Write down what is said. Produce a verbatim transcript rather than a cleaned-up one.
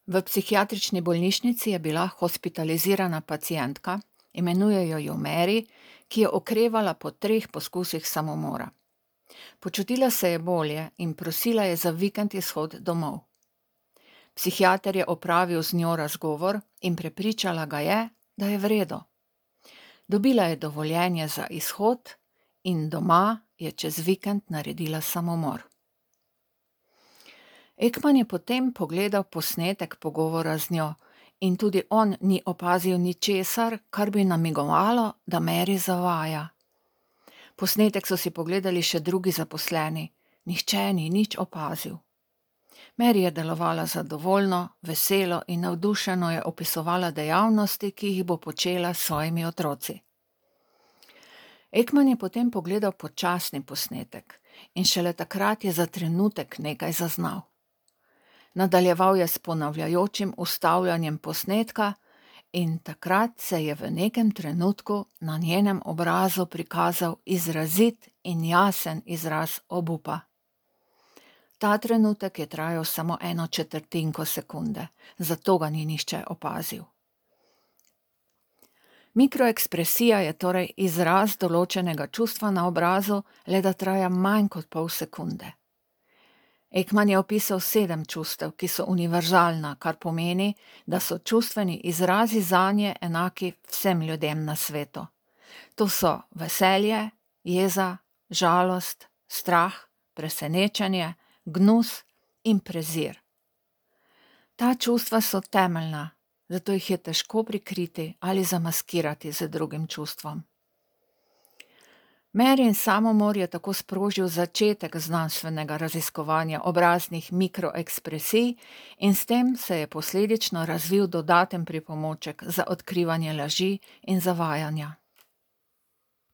V psihiatrični bolnišnici je bila hospitalizirana pacientka, imenujejo jo Mary, ki je okrevala po treh poskusih samomora. Počutila se je bolje in prosila je za vikend izhod domov. Psihiater je opravil z njo razgovor in prepričala ga je, da je v redu. Dobila je dovoljenje za izhod in doma je čez vikend naredila samomor. Ekman je potem pogledal posnetek pogovora z njo in tudi on ni opazil ničesar, kar bi namigovalo, da Mary zavaja. Posnetek so si pogledali še drugi zaposleni, nihče ni nič opazil. Mary je delovala zadovoljno, veselo in navdušeno je opisovala dejavnosti, ki jih bo počela s svojimi otroci. Ekman je potem pogledal počasni posnetek in šele takrat je za trenutek nekaj zaznal. Nadaljeval je s ponavljajočim ustavljanjem posnetka in takrat se je v nekem trenutku na njenem obrazu prikazal izrazit in jasen izraz obupa. Ta trenutek je trajal samo eno četrtinko sekunde, zato ga ni nihče opazil. Mikroekspresija je torej izraz določenega čustva na obrazu, le da traja manj kot pol sekunde. Ekman je opisal sedem čustev, ki so univerzalna, kar pomeni, da so čustveni izrazi zanje enaki vsem ljudem na svetu. To so veselje, jeza, žalost, strah, presenečenje, gnus in prezir. Ta čustva so temeljna, zato jih je težko prikriti ali zamaskirati z drugim čustvom. Maryn samomor je tako sprožil začetek znanstvenega raziskovanja obraznih mikroekspresij in s tem se je posledično razvil dodaten pripomoček za odkrivanje laži in zavajanja.